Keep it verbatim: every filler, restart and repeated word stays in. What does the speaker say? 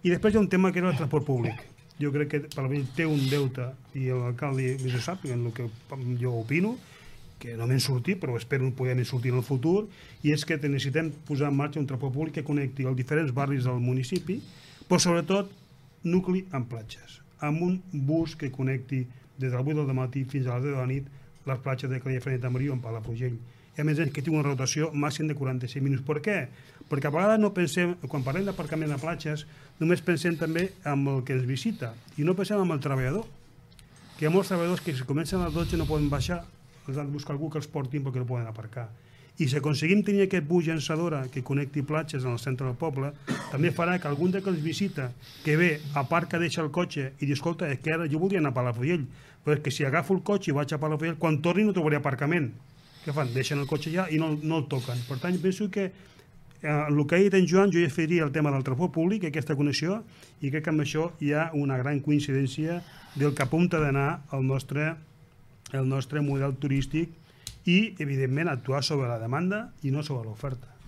I després hi ha un tema que era el transport públic. Jo crec que Palau-Solità té un deute, i l'alcalde ho sap, en el que jo opino, que no m'hen sortit, però espero poder-ne sortir en el futur, i és que necessitem posar en marxa un transport públic que connecti els diferents barris del municipi, però sobretot nucli amb platges, amb un bus que connecti des de les vuit del matí fins a les deu de la nit les platges de Calella, Frenet, Tamariu amb Palafrugell. I a més que tingui una rotació màxim de quaranta-cinc minuts. Per què? Perquè a vegades no pensem, quan parlem d'aparcament de platges, només pensem també en el que ens visita i no pensem en el treballador. Que hi ha molts treballadors que si comencen a les dotze no poden baixar, els han de buscar algú que els portin perquè no poden aparcar. I si aconseguim tenir aquest bus llançadora que connecti platges en el centre del poble, també farà que algun que els visita, que ve, aparca, deixa el cotxe i diu, escolta, és que ara jo voldria anar a Palafrugell, però és que si agafo el cotxe i vaig a Palafrugell, quan torni no trobaré aparcament. Què fan? Deixen el cotxe allà i no, no el toquen. Per tant, penso que eh, el que ha dit en Joan, jo ja faria el tema del transport públic, aquesta connexió, i crec que amb això hi ha una gran coincidència del que apunta d'anar el nostre, el nostre model turístic i, evidentment, actuar sobre la demanda i no sobre l'oferta.